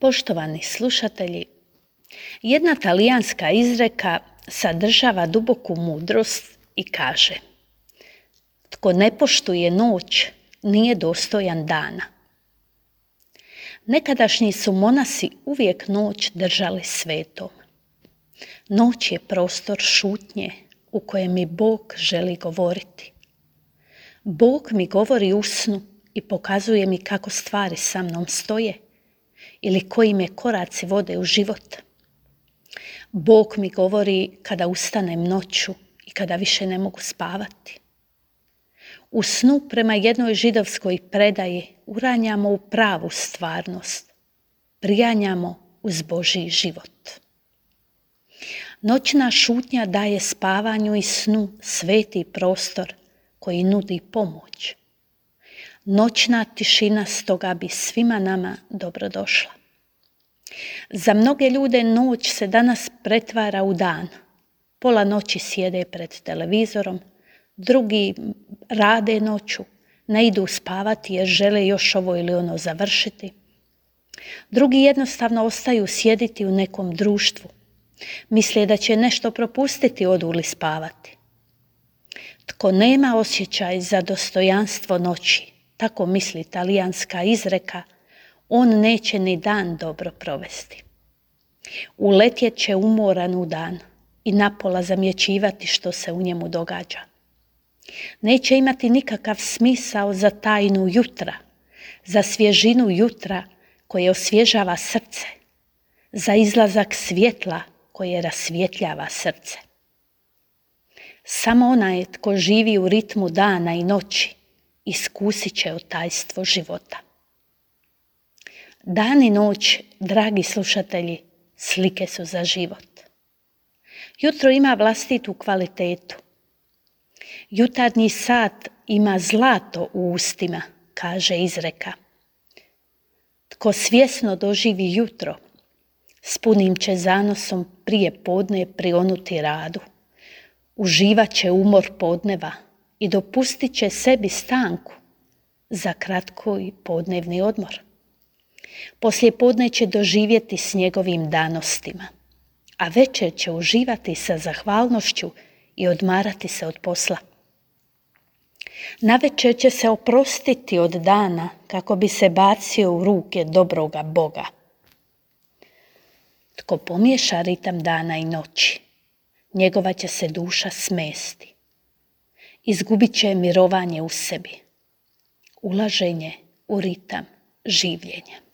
Poštovani slušatelji, jedna talijanska izreka sadržava duboku mudrost i kaže: tko ne poštuje noć, nije dostojan dana. Nekadašnji su monasi uvijek noć držali svetom. Noć je prostor šutnje u kojem mi Bog želi govoriti. Bog mi govori u snu i pokazuje mi kako stvari sa mnom stoje ili koji me koraci vode u život. Bog mi govori kada ustanem noću i kada više ne mogu spavati. U snu prema jednoj židovskoj predaji uranjamo u pravu stvarnost, prijanjamo uz Božji život. Noćna šutnja daje spavanju i snu sveti prostor koji nudi pomoć. Noćna tišina stoga bi svima nama dobrodošla. Za mnoge ljude noć se danas pretvara u dan. Pola noći sjede pred televizorom, drugi rade noću, ne idu spavati jer žele još ovo ili ono završiti. Drugi jednostavno ostaju sjediti u nekom društvu. Misle da će nešto propustiti, odu li spavati. Tko nema osjećaj za dostojanstvo noći, tako misli talijanska izreka, on neće ni dan dobro provesti. Uletjet će umoran u dan i napola zamjećivati što se u njemu događa. Neće imati nikakav smisao za tajnu jutra, za svježinu jutra koje osvježava srce, za izlazak svjetla koje rasvjetljava srce. Samo onaj tko živi u ritmu dana i noći iskusit će tajstvo života. Dan i noć, dragi slušatelji, slike su za život. Jutro ima vlastitu kvalitetu. Jutarnji sat ima zlato u ustima, kaže izreka. Tko svjesno doživi jutro, s punim će zanosom prije podne prionuti radu. Uživat će umor podneva i dopustit će sebi stanku za kratki podnevni odmor. Poslije podne će doživjeti s njegovim danostima, a večer će uživati sa zahvalnošću i odmarati se od posla. Navečer će se oprostiti od dana kako bi se bacio u ruke dobroga Boga. Tko pomiješa ritam dana i noći, njegova će se duša smesti. Izgubit će mirovanje u sebi, ulaženje u ritam življenja.